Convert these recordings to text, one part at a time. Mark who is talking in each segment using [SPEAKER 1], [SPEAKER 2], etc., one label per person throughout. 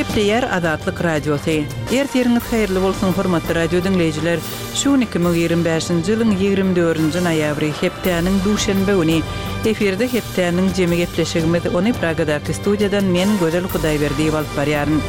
[SPEAKER 1] Gepleýär Azatlyk Radiosy. Ertiriňiz haýyrly bolsun, hormatly radio diňleýjiler! Şu gün 2025-nji ýylyň 24-nji noýabry, hepdäniň duşenbe güni. Efirde hepdäniň jemi gepleşigimiz, ony Pragadaky studiýadan men, Gözel Hudaýberdiýewa alyp barýaryn.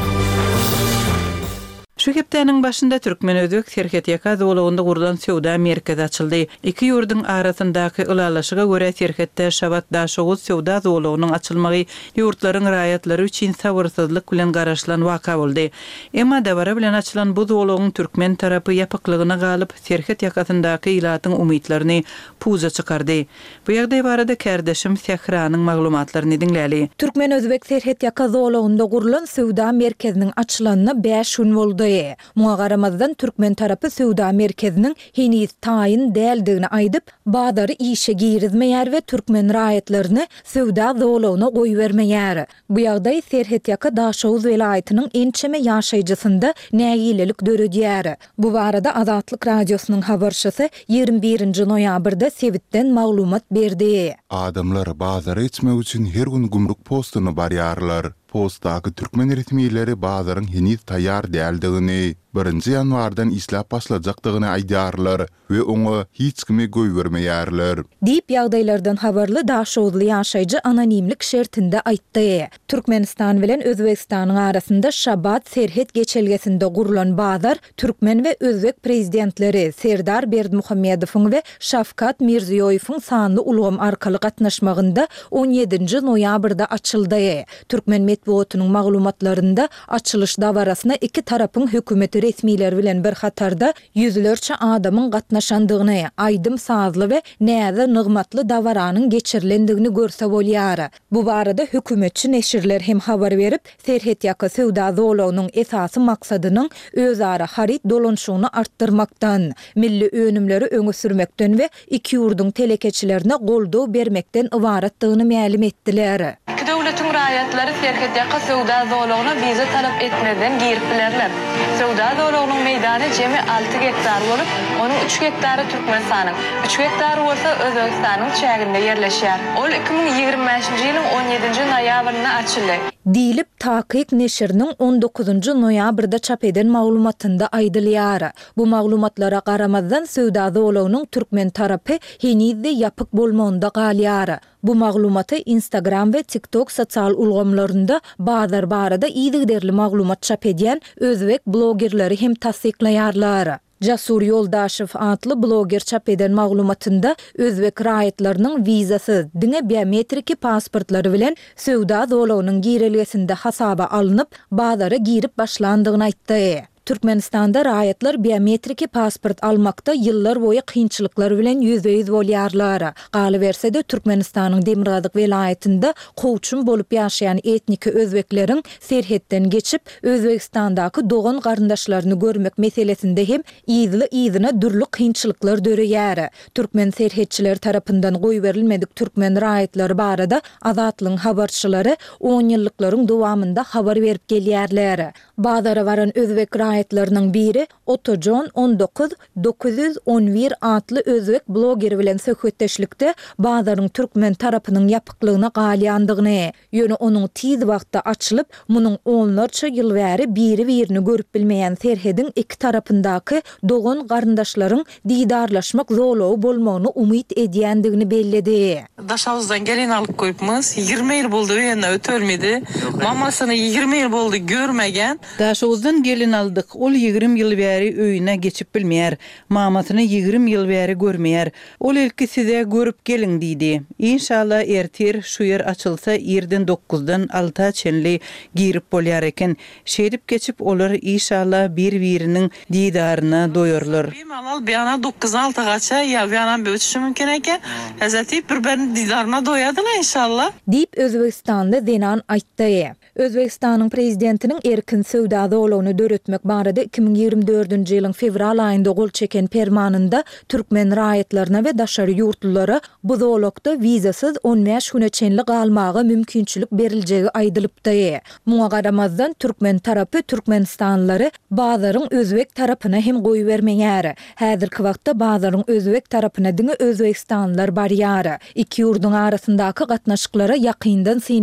[SPEAKER 1] Şu hepdäniň başynda türkmen-özbek serhetýaka zolagynda gurlan söwda merkezi açyldy. Iki ýurduň arasyndaky ylalaşyga görä serhetde Şabat-Daşoguz söwda zolagynyň açylmagy ýurtlaryň raýatlary üçin sabyrsyzlyk bilen garaşylan waka boldy. Emma dabara bilen açylan bu zolagyň türkmen tarapy ýapyklygyna galyp, serhet ýakasyndaky ilatyň umytlaryny puja çykardy. Bu ýagdaý barada kärdeşim Sähranyň maglumatlaryny diňläli.
[SPEAKER 2] Türkmen-özbek serhetýaka zolagynda gurlan söwda merkeziniň açylanyna bäş gün boldy. Muňa garamazdan, türkmen tarapy söwda merkeziniň heniz taýyn däldigini aýdyp, bazary işe girizmeýär we türkmen raýatlaryny söwda zolagyna goýbermeýär. Bu ýagdaý serhetýaka Daşoguz welaýatynyň ençeme ýaşaýjysynda nägilelik döredýär. Bu barada Azatlyk Radiosynyň habarçysy 21-nji noýabrda sebitden maglumat berdi.
[SPEAKER 3] Adamlar bazara geçmek üçin her gün gümrük postuna barýarlar. Postdaky türkmen resmileri bazaryň heniz taýýar däldigini, birinji ýanwardan işläp başlajakdygyny aýdýarlar we oňa hiç kimi goýbermeýärler.
[SPEAKER 2] Diýip, ýagdaýlardan habarly daşoguzly ýaşaýjy anonimlik şertinde aýtdy. Türkmenistan bilen Özbegistanyň arasynda Şabat serhet geçelgesinde gurlan bazar türkmen we özbek prezidentleri Serdar Berdimuhamedowyň we Şawkat Mirziýoýewiň sanly ulgam arkaly gatnaşmagynda on ýedinji noýabrda açyldy. Türkmen metbugatynyň maglumatlarynda açylyş dabarasyna iki tarapyň hökümet resmileri bilen bir hatarda ýüzlerçe adamyň gatnaşandygyny, aýdym-sazly we näzi-nygmatly dabaranyň geçirilendigini görse bolýar. Bu barada hökümetçi neşirler hem habar berip, serhetýaka söwda zolagynyň esasy maksadynyň özara haryt dolanyşygyny artdyrmakdan, milli önümleri öňe sürmekden we iki ýurduň telekeçilerine goldaw bermekden ybaratdygyny mälim etdiler.
[SPEAKER 4] Iki döwletiň raýatlary serhetýaka söwda zolagyna wiza talap etmezden girip bilerler. Söwda zolagynyň meýdany jemi alty gektar bolup, onuň üç gektary Türkmenistanyň, üç gektary bolsa Özbegistanyň çäginde ýerleşýär. Ol 2025-nji ýylyň on ýedinji noýabrynda açyldy.
[SPEAKER 2] Diýlip, Takyk neşiriniň on dokuzynjy noýabrda çap eden maglumatynda aýdylýar. Bu maglumatlara garamazdan, söwda zolagynyň türkmen tarapy heniz-de ýapyk bolmagynda galýar. Bu maglumaty Instagram we TikTok sosial ulgamlarynda bazar barada yzygiderli maglumat çap edýän özbek blogerleri hem tassyklaýarlar. Jasur Ýoldaşew atly bloger çap eden maglumatynda özbek raýatlarynyň wizasyz, diňe biometriki pasportlary bilen söwda zolagynyň girelgesinde hasaba alnyp, bazara girip başlandygyny aýtdy. Türkmenistanda raýatlar biometriki pasport almakda ýyllar boýy kynçylyklar bilen ýüzbe-ýüz bolýarlar. Galyberse-de, Türkmenistanyň demirgazyk welaýatynda kowçum bolup ýaşaýan etniki özbekleriň serhetden geçip, Özbegistandaky dogan-garyndaşlaryny görmek meselesinde hem yzly-yzyna dürli kynçylyklar döreýär. Türkmen serhetçileri tarapyndan goýberilmedik türkmen raýatlary barada Azatlygyň habarçylary onýyllyklaryň dowamynda habar berip gelýärler. Bazara baran özbek raýatlarynyň biri Otajon 19 911 atly özbek blogeri bilen söhbetdeşlikde bazaryň türkmen tarapynyň ýapyklygyna galýandygyny, ýöne onuň tiz wagtda açylyp, munuň onlarça ýyl bäri biri-birini görüp bilmeýän serhediň iki tarapyndaky dogan-garyndaşlaryň didarlaşmak zolagy bolmagyny umyt edýändigini belledi.
[SPEAKER 5] Daşagyzdan gelin alyp goýupmyz. 20 ýyl boldy öýünde ötölmedi. Mamasyny 20 ýyl boldy görmegen.
[SPEAKER 1] Daşoguzdan gelin aldyk. Ol 20 ýyl bäri öýüne geçip bilmeýär. Mamasyny 20 ýyl bäri görmeýär. Ol ilki size görüp geliň diýdi. Inşallah ertir şu ýer açylsa irden dokuzdan alta çenli girip bolýar eken. Şeýdip geçip olar işalla bir biriniň didaryna doýarlar.
[SPEAKER 5] Bimalal bir ana dokuzdan alta gaça ýa bir ana bir uçuşy mümkin eken. Hezreti bir biriniň didaryna doýadylar inşallah.
[SPEAKER 2] Diýip, özbegistanly zenan aýtdy. Özbegistanyň Prezidentiniň erkin söwda zolagyny döretmek barada 2024-nji ýylyň fewral aýynda gol çeken Permanynda türkmen raýatlaryna we daşary ýurtlulara bu zolakda wizasyz on bäş güne çenli galmaga mümkinçilik beriljegi aýdylypdy. Muňa garamazdan, türkmen tarapy türkmenistanlylary bazaryň özbek tarapyna hem goýbermeýär. Häzirki wagtda bazaryň özbek tarapyna diňe özbegistanlylar barýar. Iki ýurduň arasyndaky gatnaşyklara ýakyndan syn.